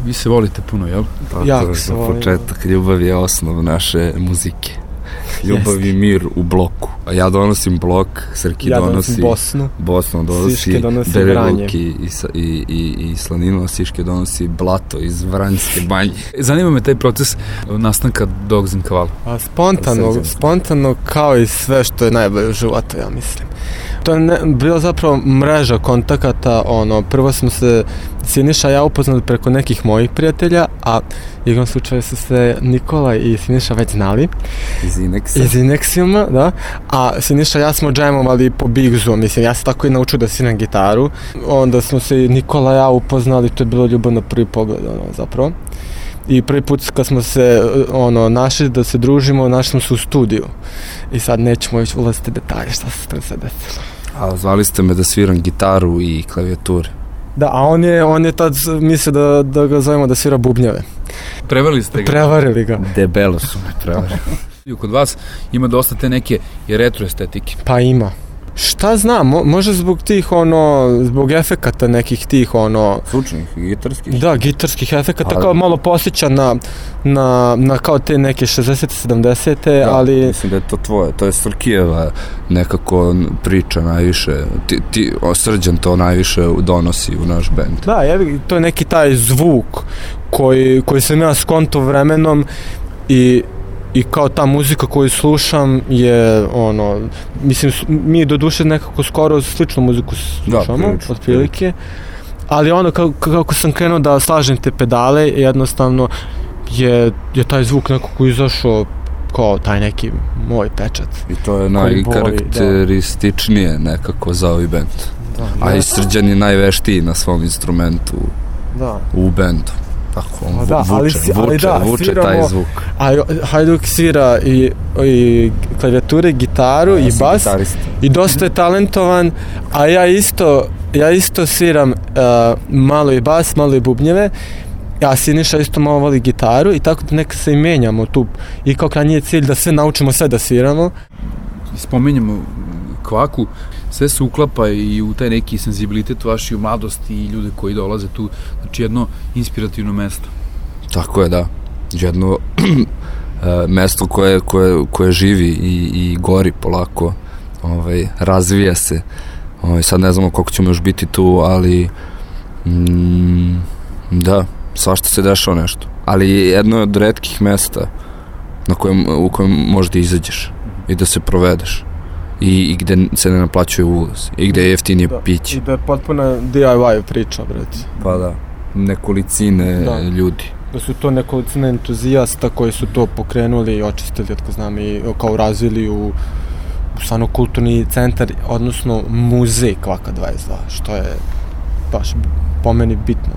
Vi se volite puno, jel? Jako se volimo. Početak, ljubav je osnov naše muzike. Ljubav i mir u bloku. A ja donosim blok, Srki donosi Bosnu donosi Siške donosi Belivuk i Slaninu, Siške donosi Blato iz Vranjske banje. Zanima me taj proces nastanka Dogs in Cavallo. Spontano kao i sve što je najbolje u životu, ja mislim. To je bilo zapravo mreža kontakata, prvo smo se Siniša i ja upoznali preko nekih mojih prijatelja, a igrom slučaju su se Nikola i Siniša već znali. Iz Inexiuma, da. A Siniša i ja smo džemovali po Bigzu, mislim, ja sam tako i naučio da sviram gitaru. Onda smo se i Nikola i ja upoznali, to je bilo ljubav na prvi pogled, zapravo. I prvi put kad smo se našli da se družimo, našli smo se u studiju. I sad nećemo još ulaziti detalje šta se to sve desilo. A zvali ste me da sviram gitaru i klavijature. Da, a on je tad mislio da ga zovemo da svira bubnjeve. Prevarili ga. Debelo su me prevarili. Kod vas ima dosta te neke retro estetike. Pa ima. Šta znam, možda zbog tih zbog efekata nekih tih Zvučnih, gitarskih? Da, gitarskih efekata, kao malo posjeća na kao te neke 60. 70. ali... Mislim da je to tvoje, to je Srkijeva nekako priča najviše, Srđan to najviše donosi u naš bend. Da, to je neki taj zvuk koji sam ja skonto vremenom i kao ta muzika koju slušam je mislim, mi do duše nekako skoro sličnu muziku slušamo, otprilike, ali kako sam krenuo da slažem te pedale, jednostavno je taj zvuk nekako izašao kao taj neki moj pečat. I to je najkarakterističnije nekako za ovaj bend. A i Srđan je najveštiji na svom instrumentu u bendu. Tako, vuče taj zvuk. A Hajduk svira i klavijature, gitaru i bas i dosta je talentovan, a ja isto sviram malo i bas, malo i bubnjeve, a Siniša isto malo voli gitaru i tako da neka se i menjamo tu i kao krajnji je cilj da sve naučimo sve da sviramo. Spominjamo Kvaku, sve se uklapa i u taj neki senzibilitet vaši u mladosti i ljude koji dolaze tu, znači jedno inspirativno mesto. Tako je, da. Jedno mesto koje živi i gori polako, razvija se. Sad ne znamo koliko ćemo još biti tu, ali da, svašta se dešava nešto. Ali jedno od retkih mesta u kojem možeš da izađeš i da se provedeš. I gde se ne naplaćuje ulaz i gde je jeftinije piće. I da je potpuno DIY priča, brate. Pa da, nekolicine ljudi. Da su to nekolicine entuzijasta koji su to pokrenuli i očistili, otko znam, i kao razvili u stvarno kulturni centar, odnosno muzej Kvaka 22, što je baš po meni bitno.